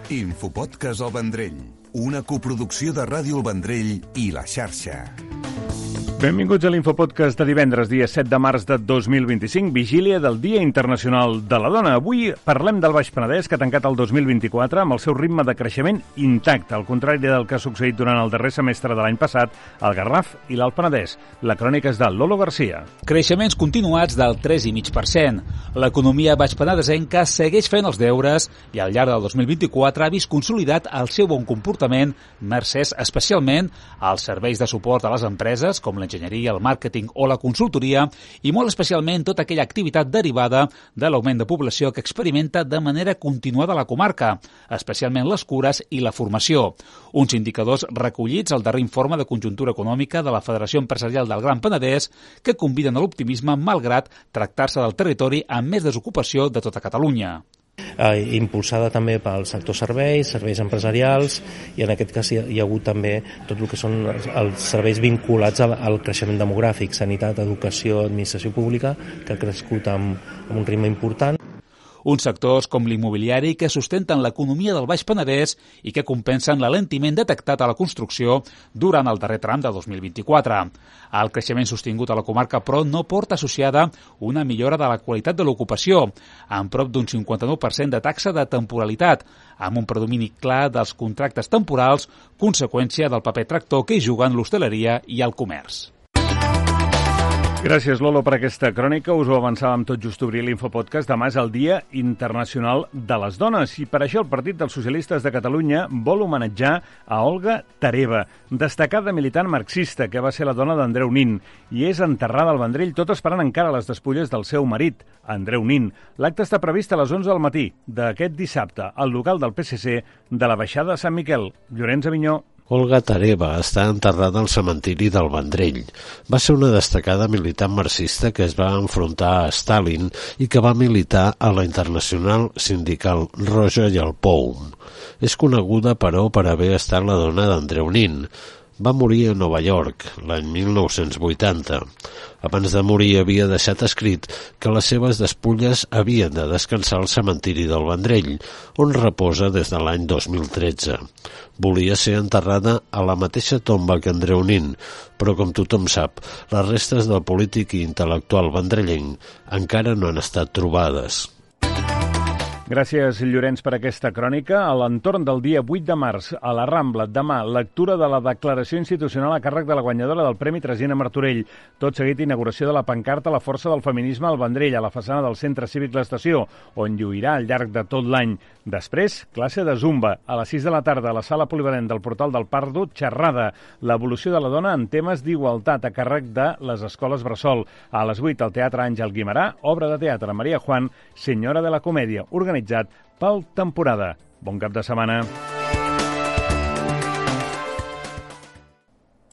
Infopodcast El Vendrell, una coproducció de Ràdio El Vendrell i La Xarxa. Benvinguts a l'Infopodcast de divendres, dia 7 de març de 2025, vigília del Dia Internacional de la Dona. Avui parlem del Baix Penedès, que ha tancat el 2024 amb el seu ritme de creixement intacte, al contrari del que ha succeït durant el darrer semestre de l'any passat al Garraf i l'Alt Penedès. La crònica és de Lolo Garcia. Creixements continuats del 3,5%. L'economia baixpenedesenca segueix fent els deures i al llarg del 2024 ha vist consolidat el seu bon comportament, mercès especialment als serveis de suport a les empreses, com l'enginyeria, el màrqueting o la consultoria, i molt especialment tota aquella activitat derivada de l'augment de població que experimenta de manera continuada la comarca, especialment les cures i la formació. Uns indicadors recollits al darrer informe de conjuntura econòmica de la Federació Empresarial del Gran Penedès que conviden a l'optimisme malgrat tractar-se del territori amb més desocupació de tota Catalunya. Impulsada també pel sector serveis empresarials, i en aquest cas hi ha hagut també tot el que són els serveis vinculats al creixement demogràfic, sanitat, educació, administració pública, que ha crescut amb un ritme important. Uns sectors com l'immobiliari que sustenten l'economia del Baix Penedès i que compensen l'alentiment detectat a la construcció durant el darrer tram de 2024. El creixement sostingut a la comarca, però, no porta associada una millora de la qualitat de l'ocupació, amb prop d'un 59% de taxa de temporalitat, amb un predomini clar dels contractes temporals, conseqüència del paper tractor que hi juguen l'hostaleria i el comerç. Gràcies, Lolo, per aquesta crònica. Us ho avançàvem tot just obrir l'Infopodcast. Demà és el Dia Internacional de les Dones i per això el Partit dels Socialistes de Catalunya vol homenatjar a Olga Tareva, destacada militant marxista que va ser la dona d'Andreu Nin i és enterrada al Vendrell, tot esperant encara les despulles del seu marit, Andreu Nin. L'acte està previst a les 11 del matí d'aquest dissabte al local del PSC de la Baixada de Sant Miquel. Llorenç Avinyó. Olga Tareva està enterrada al cementiri del Vendrell. Va ser una destacada militant marxista que es va enfrontar a Stalin i que va militar a la Internacional Sindical Roja i al POUM. És coneguda, però, per haver estat la dona d'Andreu Nin. Va morir a Nova York l'any 1980. Abans de morir havia deixat escrit que les seves despulles havien de descansar al cementiri del Vendrell, on reposa des de l'any 2013. Volia ser enterrada a la mateixa tomba que Andreu Nin, però com tothom sap, les restes del polític i intel·lectual vendrellenc encara no han estat trobades. Gràcies, Llorenç, per aquesta crònica. A l'entorn del dia 8 de març, a la Rambla, demà, lectura de la declaració institucional a càrrec de la guanyadora del Premi Tresina Martorell. Tot seguit, inauguració de la pancarta La força del feminisme al Vendrell, a la façana del Centre Cívic L'Estació, on lluirà al llarg de tot l'any. Després, classe de Zumba. A les 6 de la tarda, a la sala polivalent del Portal del Pardo, xerrada. L'evolució de la dona en temes d'igualtat a càrrec de les escoles Bressol. A les 8, al Teatre Àngel Guimerà, obra de teatre Maria Juan, Senyora de la Comèdia, organitzat pel Temporada. Bon cap de setmana.